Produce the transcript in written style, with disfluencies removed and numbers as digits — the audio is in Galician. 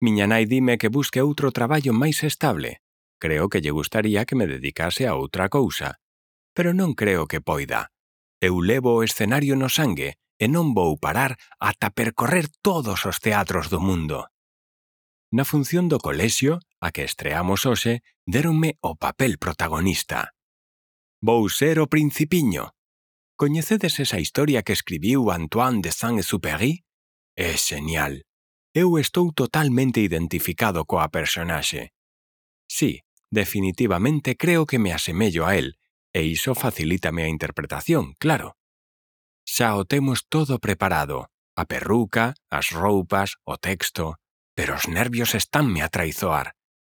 Miña nai dime que busque outro traballo máis estable. Creo que lle gustaría que me dedicase a outra cousa. Pero non creo que poida. Eu levo o escenario no sangue e non vou parar ata percorrer todos os teatros do mundo. Na función do colexio, a que estreamos hoxe, déronme o papel protagonista. Vou ser o Principiño. Coñecedes esa historia que escribiu Antoine de Saint-Exupéry? É xenial. Eu estou totalmente identificado coa personaxe. Sí, definitivamente creo que me asemello a él, e iso facilítame a interpretación, claro. Xa o temos todo preparado, a perruca, as roupas, o texto, pero os nervios estanme a traizoar.